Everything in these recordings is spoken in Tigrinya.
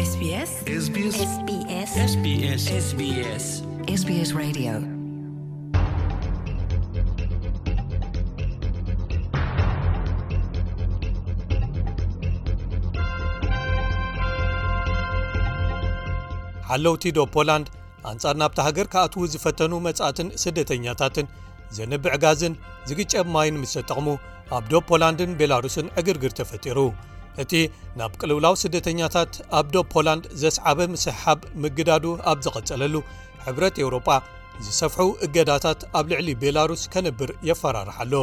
SBS SBS SBS SBS SBS Radio. ሓለውቲ ዶብ ፖላንድ ኣንጻር ናብታ ሃገር ክኣትዉ ዝፈተኑ መጻእትን ስደተኛታትን ዘንብዕ ጋዝን ዝግጨብ ማይን ምስ ተጠቕሙ፣ ኣብ ዶብ ፖላንድን ቤላሩስን ዕግርግር ተፈጢሩ። እቲ ናብ ቅልውላው ስደተኛታት ኣብ ዶብ ፖላንድ ዘስዓበ ምስሕሓብ ምግዳዱ ኣብ ዝቐጸለሉ፣ ሕብረት ኤውሮጳ ዝሰፍሑ እገዳታት ኣብ ልዕሊ ቤላሩስ ከንብር የፈራርሕ ኣሎ።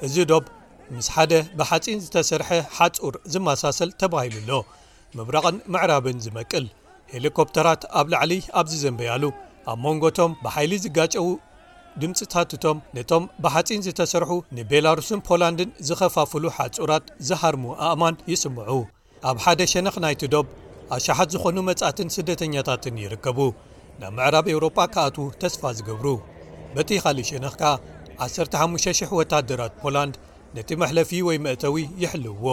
እዚ ዶብ ምስ ሓደ ብሓጺን ዝተሰርሐ ሓጹር ዝመሳሰል ተባሂሉ ኣሎ። ምብራቕን ምዕራብን ዝመቅል፣ ሄሊኮፕተራት ኣብ ላዕሊ ኣብ ዝዘንበያሉ፣ ኣብ መንጎቶም ብሓይሊ ዝጋጨዉ ድምጽታትቶም ነቶም ብሓጺን ዝተሰርሑ ንቤላሩስን ፖላንድን ዝኸፋፍሉ ሓጹራት ዝሃርሙ ኣእማን ይስምዑ። ኣብ ሓደ ሸነኽ ናይቲ ዶብ ኣሽሓት ዝኾኑ መጻእትን ስደተኛታትን ይርከቡ፣ ናብ ምዕራብ ኤውሮጳ ክኣትዉ ተስፋ ዝገብሩ። በቲ ካልእ ሸነኽ ከኣ ዓሰርተ ሓሙሽተ ሽሕ ወታደራት ፖላንድ ነቲ መሕለፊ ወይ መእተዊ ይሕልውዎ።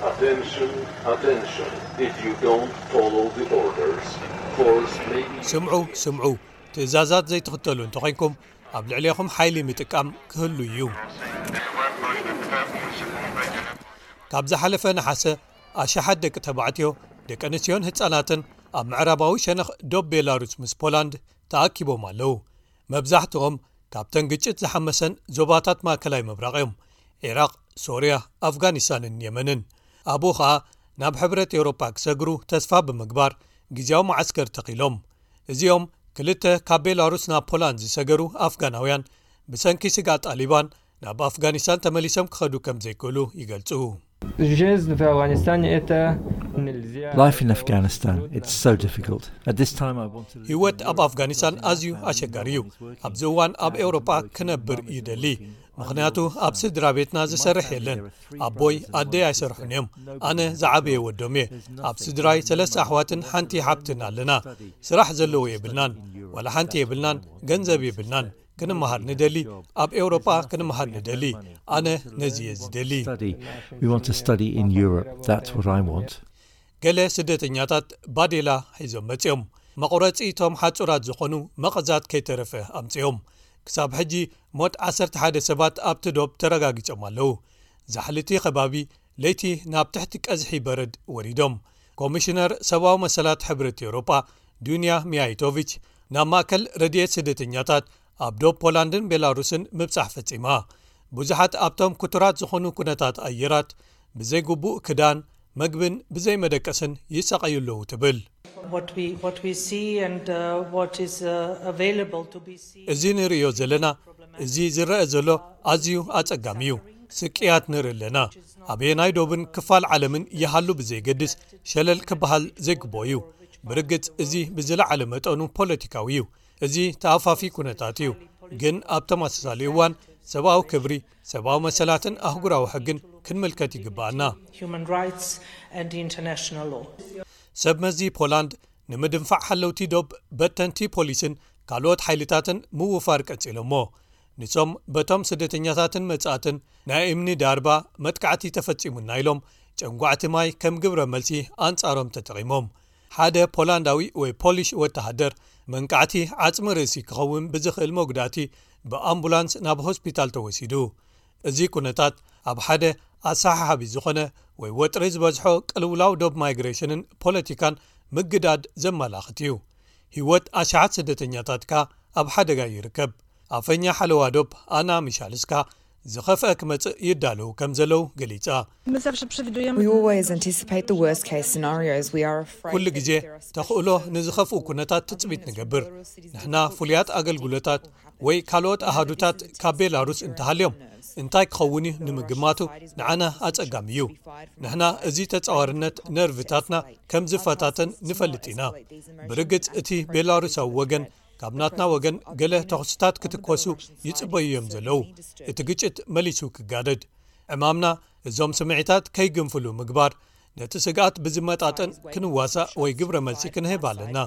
Attention, attention. If you don't follow the orders, force may be ስምዑ፣ ስምዑ። ትእዛዛት ዘይትኽተሉ እንተኾይንኩም፣ ኣብ ልዕሌኹም ሓይሊ ምጥቃም ክህሉ እዩ። ካብ ዝሓለፈ ነሓሰ፣ ኣሽሓት ደቂ ተባዕትዮ፣ ደቂ ኣንስትዮን ህጻናትን ኣብ ምዕራባዊ ሸነኽ ዶብ ቤላሩስ ምስ ፖላንድ ተኣኪቦም ኣለዉ። መብዛሕትኦም ካብተን ግጭት ዝሓመሰን ዞባታት ማእከላይ ምብራቕ እዮም፣ ዒራቕ፣ ሶርያ፣ ኣፍጋኒስታንን የመንን። ኣብኡ ኸኣ ናብ ሕብረት ኤውሮጳ ክሰግሩ ተስፋ ብምግባር ግዝያዊ መዓስከር ተኺሎም። እዚኦም ክልተ ካብ ቤላሩስ ናብ ፖላንድ ዝሰገሩ ኣፍጋናውያን፣ ብሰንኪ ስግኣት ጣሊባን ናብ ኣፍጋኒስታን ተመሊሶም ክኸዱ ከም ዘይክእሉ ይገልጹ። Жизнь в Афганистане это нельзя. Life in Afghanistan, it's so difficult. At this time, I want to live ህይወት ኣብ ኣፍጋኒስታን ኣዝዩ ኣሸጋሪ እዩ። ኣብዚ እዋን ኣብ ኤውሮጳ ክነብር ይደሊ፣ ምኽንያቱ ኣብ ስድራ ቤትና ዝሰርሕ የለን። ኣቦይ ኣደይ ኣይሰርሑን እዮም። ኣነ ዝዓበየ ወዶም እየ። ኣብ ስድራይ ሰለስተ ኣሕዋትን ሓንቲ ሓብትን ኣለና። ስራሕ ዘለዎ የብልናን፣ ዋላ ሓንቲ የብልናን፣ ገንዘብ የብልናን። ክንመሃር ንደሊ፣ ኣብ ኤውሮጳ ክንመሃር ንደሊ። ኣነ ነዚ እየ ዝደሊ። Study. We want to study in Europe. That's what I want. ገለ ስደተኛታት ባዴላ ሒዞም መጺኦም። መቑረጺ እቶም ሓጹራት ዝኾኑ መቐዛት ከይተረፈ ኣምጺኦም። ክሳብ ሕጂ ሞት ዓሰርተ ሓደ ሰባት ኣብቲ ዶብ ተረጋጊጾም ኣለዉ። ዛሕልቲ ከባቢ ለይቲ ናብ ትሕቲ ቀዝሒ በረድ ወሪዶም። ኮሚሽነር ሰብኣዊ መሰላት ሕብረት ኤውሮጳ ዱንያ ሚያይቶቪች ናብ ማእከል ረድኤት ስደተኛታት ኣብ ዶብ ፖላንድን ቤላሩስን ምብጻሕ ፈጺማ። ብዙሓት ኣብቶም ክቱራት ዝኾኑ ኩነታት ኣየራት ብዘይግቡእ ክዳን፣ መግብን ብዘይ መደቀስን ይሳቐዩ ኣለዉ ትብል። What we, what we see and uh, what is uh, available to be seen. እዚ ንርእዮ ዘለና፣ እዚ ዝረአ ዘሎ ኣዝዩ ኣጸጋሚ እዩ። ስቅያት ንርኢ ኣለና። ኣበየናይ ዶብን ክፋል ዓለምን ይሃሉ ብዘይገድስ ሸለል ክበሃል ዘይግብኦ እዩ። ብርግጽ እዚ ብዝለዓለ መጠኑ ፖለቲካዊ እዩ። እዚ ተኣፋፊ ኩነታት እዩ። ግን ኣብ ተመሳሳሊ እዋን ሰብኣዊ ክብሪ፣ ሰብኣዊ መሰላትን ኣህጉራዊ ሕግን ክንምልከት ይግብኣና። Human rights and international law. ሰብ መዚ ፖላንድ ንምድንፋዕ ሓለውቲ ዶብ በተንቲ ፖሊስን ካልኦት ሓይልታትን ምውፋር ቀጺሎሞ። ንሶም በቶም ስደተኛታትን መጻእትን ናይ እምኒ ዳርባ መጥቃዕቲ ተፈጺሙና ኢሎም ጨንጓዕቲ ማይ ከም ግብረ መልሲ ኣንጻሮም ተጠቒሞም። ሓደ ፖላንዳዊ ወይ ፖሊሽ ወተሃደር መንቃዕቲ ዓጽሚ ርእሲ ክኸውን ብዝኽእል መጉዳእቲ ብኣምቡላንስ ናብ ሆስፒታል ተወሲዱ። እዚ ኩነታት ኣብ ሓደ ኣሰሓሓቢ ዝኾነ ወይ ወጥሪ ዝበዝሖ ቅልውላው ዶብ ማይግሬሽንን ፖለቲካን ምግዳድ ዘመላኽት እዩ። ህይወት ኣሽሓት ስደተኛታት ከኣ ኣብ ሓደጋ ይርከብ። ኣፈኛ ሓለዋ ዶብ ኣና ሚሻልስካ ዝኸፍአ ክመጽእ ይዳለዉ ከም ዘለዉ ገሊጻ። My zawsze przewidujemy. We always anticipate the worst case scenarios. We are afraid ኩሉ that ግዜ if there are ተኽእሎ ንዝኸፍኡ ኩነታት ትጽቢት ንገብር። ንሕና ፍሉያት ኣገልግሎታት ወይ ካልኦት ኣሃዱታት ካብ ቤላሩስ እንተሃልዮም እንታይ ክኸውን እዩ ንምግማቱ ንዓና ኣጸጋሚ እዩ። ንሕና እዚ ተጻዋርነት ነርቭታትና ከም ዝፈታተን ንፈልጥ ኢና። ብርግጽ እቲ ቤላሩሳዊ ወገን ካብ ናትና ወገን ገለ ተኹስታት ክትኮሱ ይጽበዩ እዮም ዘለዉ። እቲ ግጭት መሊሱ ክጋደድ። ዕማምና እዞም ስምዒታት ከይግንፍሉ ምግባር፣ ነቲ ስግኣት ብዝመጣጠን ክንዋሳእ ወይ ግብረ መልሲ ክንህብ ኣለና።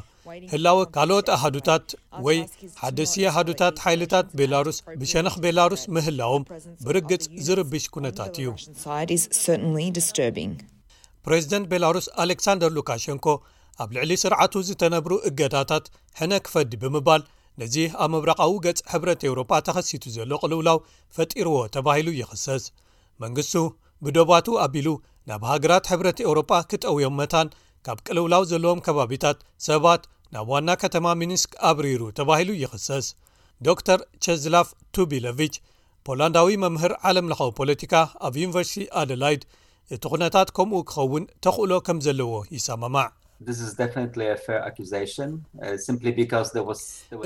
ህላወ ካልኦት ኣሃዱታት ወይ ሓደሲ ኣሃዱታት ሓይልታት ቤላሩስ ብሸነኽ ቤላሩስ ምህላዎም ብርግጽ ዝርብሽ ኩነታት እዩ። ፕሬዚደንት ቤላሩስ ኣሌክሳንደር ሉካሸንኮ ኣብ ልዕሊ ስርዓቱ ዝተነብሩ እገዳታት ሕነ ክፈዲ ብምባል፣ ነዚ ኣብ ምብራቓዊ ገጽ ሕብረት ኤውሮጳ ተኸሲቱ ዘሎ ቅልውላው ፈጢርዎ ተባሂሉ ይኽሰስ። መንግስቱ ብዶባቱ ኣቢሉ ናብ ሃገራት ሕብረት ኤውሮጳ ክጠውዮም መታን ካብ ቅልውላው ዘለዎም ከባቢታት ሰባት ናብ ዋና ከተማ ሚኒስክ ኣብሪሩ ተባሂሉ ይኽሰስ። ዶክተር ቸዝላፍ ቱቢለቪች፣ ፖላንዳዊ መምህር ዓለም ለኻዊ ፖለቲካ ኣብ ዩኒቨርሲቲ ኣደላይድ፣ እቲ ኩነታት ከምኡ ክኸውን ተኽእሎ ከም ዘለዎ ይሰማማዕ።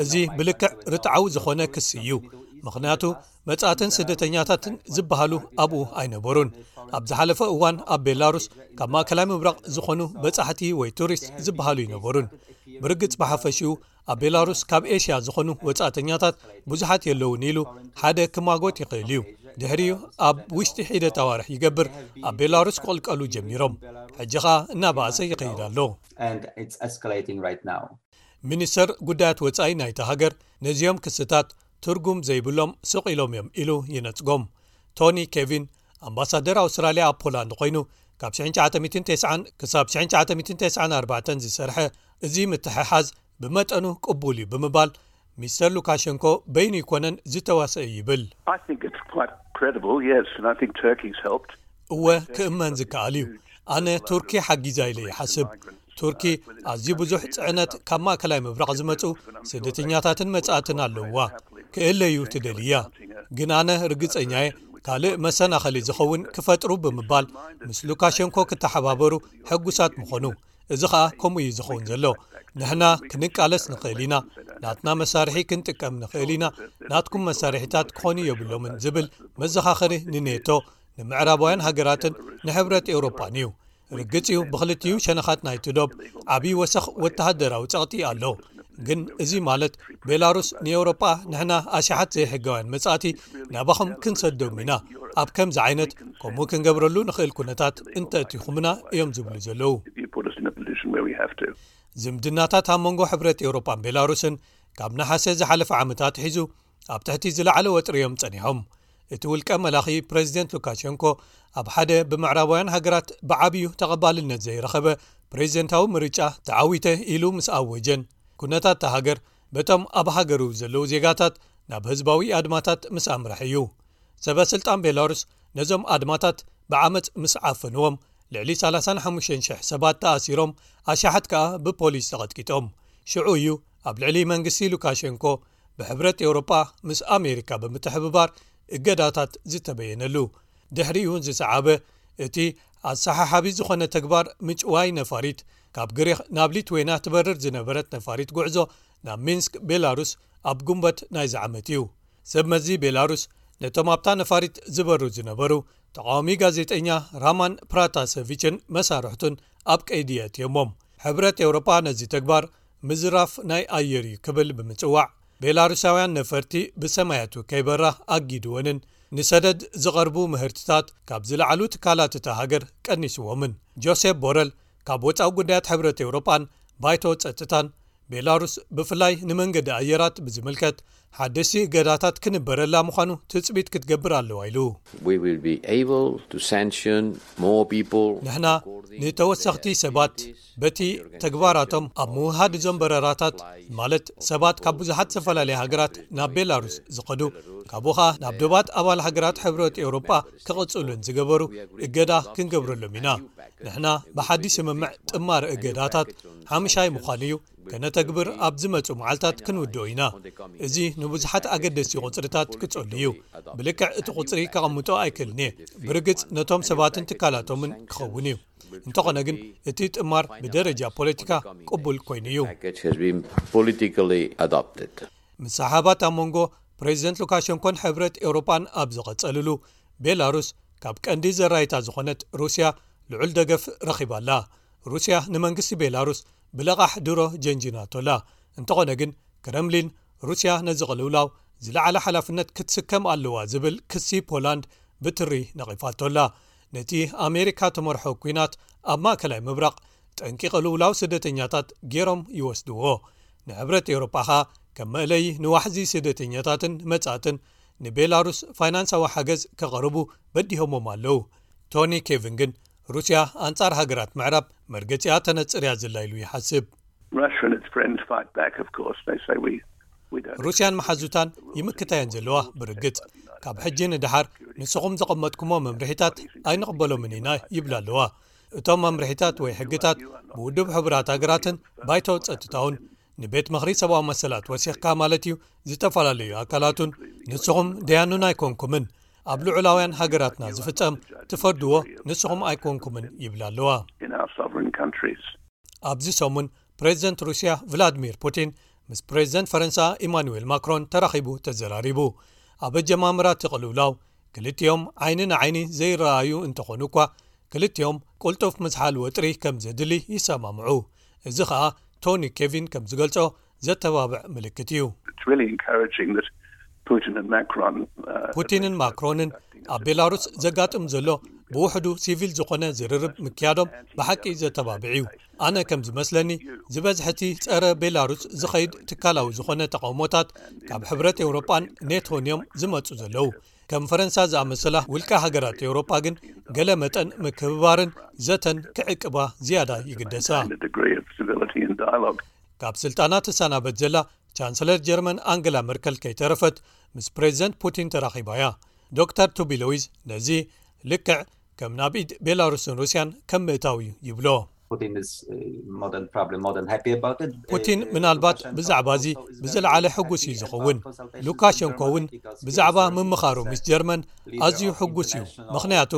እዚ ብልክዕ ርትዓዊ ዝኾነ ክሲ እዩ። ምኽንያቱ መጻእትን ስደተኛታትን ዝበሃሉ ኣብኡ ኣይነበሩን። ኣብ ዝሓለፈ እዋን ኣብ ቤላሩስ ካብ ማእከላይ ምብራቕ ዝኾኑ በጻሕቲ ወይ ቱሪስት ዝበሃሉ ኣይነበሩን። ብርግጽ ብሓፈሽኡ ኣብ ቤላሩስ ካብ ኤሽያ ዝኾኑ ወጻእተኛታት ብዙሓት የለውን ኢሉ ሓደ ክማጎት ይኽእል እዩ። ድሕሪኡ ኣብ ውሽጢ ሒደት ኣዋርሕ ይገብር ኣብ ቤላሩስ ክቕልቀሉ ጀሚሮም። ሕጂ ኸኣ እናበኣሰ ይኸይድ ኣሎ። ሚኒስተር ጉዳያት ወጻኢ ናይታ ሃገር ነዚኦም ክስታት ትርጉም ዘይብሎም ስቕ ኢሎም እዮም ኢሉ ይነጽጎም። ቶኒ ኬቪን ኣምባሳደር ኣውስትራልያ ኣብ ፖላንድ ኮይኑ ካብ ሽሕን ትሽዓተ ሚእትን ተስዓን ክሳብ ሽሕን ትሽዓተ ሚእትን ተስዓን ኣርባዕተን ዝሰርሐ፣ እዚ ምትሕሓዝ ብመጠኑ ቅቡል እዩ ብምባል፣ ሚስተር ሉካሸንኮ በይኑ ይኮነን ዝተዋሰእ ይብል። እወ፣ ክእመን ዝከኣል እዩ። ኣነ ቱርኪ ሓጊዛ ኢለ ይሓስብ። ቱርኪ ኣዝዩ ብዙሕ ጽዕነት ካብ ማእከላይ ምብራቕ ዝመጹ ስደተኛታትን መጻእትን ኣለውዋ። ክእለዩ ትደልያ። ግን ኣነ ርግጸኛየ ካልእ መሰናኸሊ ዝኸውን ክፈጥሩ ብምባል ምስ ሉካሸንኮ ክተሓባበሩ ሕጉሳት ምኾኑ። እዚ ኸኣ ከምኡ እዩ ዝኸውን ዘሎ። ንሕና ክንቃለስ ንኽእል ኢና፣ ናትና መሳርሒ ክንጥቀም ንኽእል ኢና፣ ናትኩም መሳርሒታት ክኾኑ የብሎምን ዝብል መዘኻኸሪ ንኔቶ፣ ንምዕራባውያን ሃገራትን ንሕብረት ኤውሮጳን እዩ። ርግጽ እዩ፣ ብኽልቲኡ ሸነኻት ናይቲ ዶብ ዓብዪ ወሰኽ ወተሃደራዊ ጸቕጢ ኣሎ። ግን እዚ ማለት ቤላሩስ ንኤውሮጳ ንሕና ኣሽሓት ዘይሕጋውያን መጻእቲ ናባኹም ክንሰዶም ኢና፣ ኣብ ከምዚ ዓይነት ከምኡ ክንገብረሉ ንኽእል ኩነታት እንተእቲኹምና እዮም ዝብሉ ዘለዉ። ዝምድናታት ኣብ መንጎ ሕብረት ኤውሮጳን ቤላሩስን ካብ ነሓሰ ዝሓለፈ ዓመት ኣትሒዙ ኣብ ትሕቲ ዝለዓለ ወጥሪ እዮም ጸኒሖም። እቲ ውልቀ መላኺ ፕሬዚደንት ሉካሸንኮ ኣብ ሓደ ብምዕራባውያን ሃገራት ብዓብዩ ተቐባልነት ዘይረኸበ ፕሬዚደንታዊ ምርጫ ተዓዊተ ኢሉ ምስ ኣወጀን፣ ኩነታት እታ ሃገር በቶም ኣብ ሃገሩ ዘለዉ ዜጋታት ናብ ህዝባዊ ኣድማታት ምስ ኣምርሐ እዩ። ሰበ ስልጣን ቤላሩስ ነዞም ኣድማታት ብዓመጽ ምስ ዓፈንዎም፣ ልዕሊ ሰላሳን ሓሙሽተን ሽሕ ሰባት ተኣሲሮም፣ ኣሽሓት ከኣ ብፖሊስ ተቐጥቂጦም። ሽዑ እዩ ኣብ ልዕሊ መንግስቲ ሉካሸንኮ ብሕብረት ኤውሮጳ ምስ ኣሜሪካ ብምትሕብባር እገዳታት ዝተበየነሉ። ድሕሪኡ ዝሰዓበ እቲ ኣሰሓሓቢ ዝኾነ ተግባር ምጭዋይ ነፋሪት፣ ካብ ግሪኽ ናብ ሊትዌና ትበርር ዝነበረት ነፋሪት ጉዕዞ ናብ ሚንስክ ቤላሩስ ኣብ ጉንበት ናይዚ ዓመት እዩ። ሰብ መዚ ቤላሩስ ነቶም ኣብታ ነፋሪት ዝበሩ ዝነበሩ ተቃዋሚ ጋዜጠኛ ራማን ፕራታሰቪችን መሳርሕቱን ኣብ ቀይዲ የእትዮሞም። ሕብረት ኤውሮጳ ነዚ ተግባር ምዝራፍ ናይ ኣየር እዩ ክብል ብምጽዋዕ፣ ቤላሩሳውያን ነፈርቲ ብሰማያቱ ከይበራ ኣጊድወንን ንሰደድ ዝቐርቡ ምህርትታት ካብ ዝለዓሉ ትካላት እታ ሃገር ቀኒስዎምን። ጆሴፕ ቦረል ካብ ወጻኢ ጉዳያት ሕብረት ኤውሮጳን ባይቶ ጸጥታን፣ ቤላሩስ ብፍላይ ንመንገዲ ኣየራት ብዝምልከት ሓደስቲ እገዳታት ክንበረላ ምዃኑ ትጽቢት ክትገብር ኣለዋ ኢሉ። We will be able to sanction more people ንሕና ንተወሰኽቲ ሰባት በቲ ተግባራቶም ኣብ ምውሃድ እዞም በረራታት፣ ማለት ሰባት ካብ ብዙሓት ዝተፈላለያ ሃገራት ናብ ቤላሩስ ዝኸዱ፣ ካብኡ ኸኣ ናብ ዶባት ኣባል ሃገራት ሕብረት ኤውሮጳ ክቕጽሉን ዝገበሩ እገዳ ክንገብረሎም ኢና። ንሕና ብሓዲ ስምምዕ ጥማር እገዳታት ሓምሻይ ምዃኑ እዩ። ከነተግብር ኣብ ዝመጹ መዓልታት ክንውድኦ ኢና። እዚ ንብዙሓት ኣገደስቲ ቁጽርታት ክጸሉ እዩ። ብልክዕ እቲ ቁጽሪ ከቐምጦ ኣይክእልን እየ። ብርግጽ ነቶም ሰባትን ትካላቶምን ክኸውን እዩ። እንተኾነ ግን እቲ ጥማር ብደረጃ ፖለቲካ ቅቡል ኮይኑ እዩ። Package has been politically adopted. ምሰሓባት ኣብ መንጎ ፕሬዚደንት ሉካሸንኮን ሕብረት ኤውሮጳን ኣብ ዝቐጸልሉ፣ ቤላሩስ ካብ ቀንዲ ዘራይታ ዝኾነት ሩስያ ልዑል ደገፍ ረኺባ ኣላ። ሩስያ ንመንግስቲ ቤላሩስ ብለቓሕ ድሮ ጀንጂናቶ ኣላ። እንተኾነ ግን ክረምሊን ሩስያ ነዚ ቅልውላው ዝለዓለ ሓላፍነት ክትስከም ኣለዋ ዝብል ክሲ ፖላንድ ብትሪ ነቒፋቶ ኣላ። ነቲ ኣሜሪካ ተመርሖ ኲናት ኣብ ማእከላይ ምብራቕ ጠንቂ ቅልውላው ስደተኛታት ገይሮም ይወስድዎ። ንሕብረት ኤውሮጳ ኸኣ ከም መእለዪ ንዋሕዚ ስደተኛታትን መጻእትን ንቤላሩስ ፋይናንሳዊ ሓገዝ ከቕርቡ በዲሆሞም ኣለዉ። ቶኒ ኬቪን ግን ሩስያ ኣንጻር ሃገራት ምዕራብ መርገጺኣ ተነጽር እያ ዘላ ኢሉ ይሓስብ። Russia and its friends fight back, of course. They say we, we don't. ሩስያን መሓዙታን ይምክታየን ዘለዋ። ብርግጽ ካብ ሕጂ ንደሓር ንስኹም ዘቐመጥኩሞ መምርሒታት ኣይንቕበሎምን ኢና ይብላ ኣለዋ። እቶም መምርሒታት ወይ ሕግታት ብውድብ ሕቡራት ሃገራትን ባይቶ ጸጥታውን ንቤት ምኽሪ ሰብኣዊ መሰላት ወሲኽካ ማለት እዩ፣ ዝተፈላለዩ ኣካላቱን ንስኹም ደያኑን ኣይኮንኩምን፣ ኣብ ልዑላውያን ሃገራትና ዝፍጸም ትፈርድዎ ንስኹም ኣይኮንኩምን ይብላ ኣለዋ። In our sovereign countries. ኣብዚ ሰሙን ፕሬዚደንት ሩስያ ቭላድሚር ፑቲን ምስ ፕሬዚደንት ፈረንሳ ኢማኑኤል ማክሮን ተራኺቡ ተዘራሪቡ። ኣብ ኣጀማምራ እቲ ቅልውላው ክልቲኦም ዓይኒ ንዓይኒ ዘይረኣዩ እንተኾኑ እኳ፣ ክልቲኦም ቅልጡፍ ምዝሓል ወጥሪ ከም ዘድሊ ይሰማምዑ። እዚ ኸኣ ቶኒ ኬቪን ከም ዝገልጾ ዘተባብዕ ምልክት እዩ። It's really encouraging that Putin and Macron. Uh, ፑቲንን ማክሮንን ኣብ ቤላሩስ ዘጋጥም ዘሎ ብውሕዱ ሲቪል ዝኾነ ዝርርብ ምክያዶም ብሓቂ ዘተባብዕ እዩ። ኣነ ከም ዝመስለኒ ዝበዝሐ እቲ ጸረ ቤላሩስ ዝኸይድ ትካላዊ ዝኾነ ተቓውሞታት ካብ ሕብረት ኤውሮጳን ኔቶን እዮም ዝመጹ ዘለዉ። ከም ፈረንሳ ዝኣመሰላ ውልቀ ሃገራት ኤውሮጳ ግን ገለ መጠን ምክብባርን ዘተን ክዕቅባ ዝያዳ ይግደሳ። And a degree of civility and dialogue. ካብ ስልጣና ትሰናበት ዘላ ቻንሰለር ጀርመን ኣንገላ መርከል ከይተረፈት ምስ ፕሬዚደንት ፑቲን ተራኺባ እያ። ዶክተር ቱቢሎዊዝ ነዚ ልክዕ ከም ናብ ኢድ ቤላሩስን ሩስያን ከም ምእታው እዩ ይብሎ። Putin is uh, more than probably more than happy about it. ፑቲን ምናልባት ብዛዕባ እዚ ብዝለዓለ ሕጉስ እዩ ዝኸውን። ሉካሸንኮ እውን ብዛዕባ ምምኻሩ ምስ ጀርመን ኣዝዩ ሕጉስ እዩ። ምኽንያቱ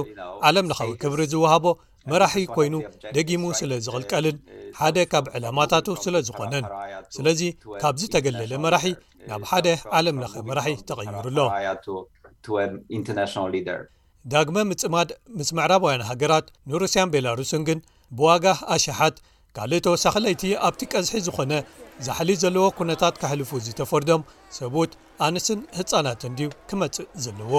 ዓለም ለኻዊ ክብሪ ዝወሃቦ መራሒ ኮይኑ ደጊሙ ስለ ዝቕልቀልን ሓደ ካብ ዕላማታቱ ስለ ዝኾነን። ስለዚ ካብ ዝተገለለ መራሒ ናብ ሓደ ዓለም ለኸ መራሒ ተቐይሩ ኣሎ። To an international leader. ዳግመ ምጽማድ ምስ ምዕራባውያን ሃገራት ንሩስያን ቤላሩስን ግን ብዋጋ ኣሽሓት ካልእ ተወሳኺ ለይቲ ኣብቲ ቀዝሒ ዝኾነ ዛሕሊ ዘለዎ ኩነታት ከሕልፉ ዝተፈርዶም ሰብኡት ኣንስትን ህጻናትን ድዩ ክመጽእ ዘለዎ?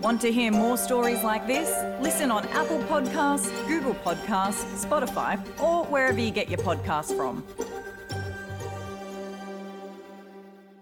Want to hear more stories like this? Listen on Apple Podcasts, Google Podcasts, Spotify, or wherever you get your podcasts from.